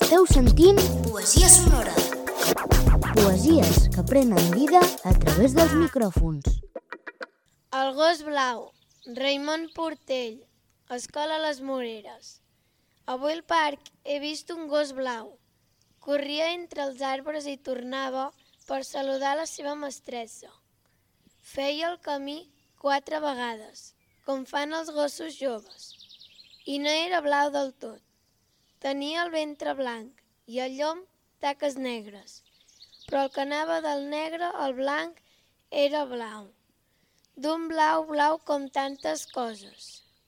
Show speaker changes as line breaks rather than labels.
Esteu sentint
Poesia sonora.
poesies que prenen vida a través dels micròfons.
El gos blau, Raimon Portell, Escola Les Moreres. Avui al parc he vist un gos blau. Corria entre els arbres i tornava per saludar la seva mestressa. Feia el camí 4 vegades, com fan els gossos joves. I no era blau del tot. Tenia el ventre blanc i el llom taques negres, però el que anava del negre al blanc era blau. D'un blau blau com tantes coses.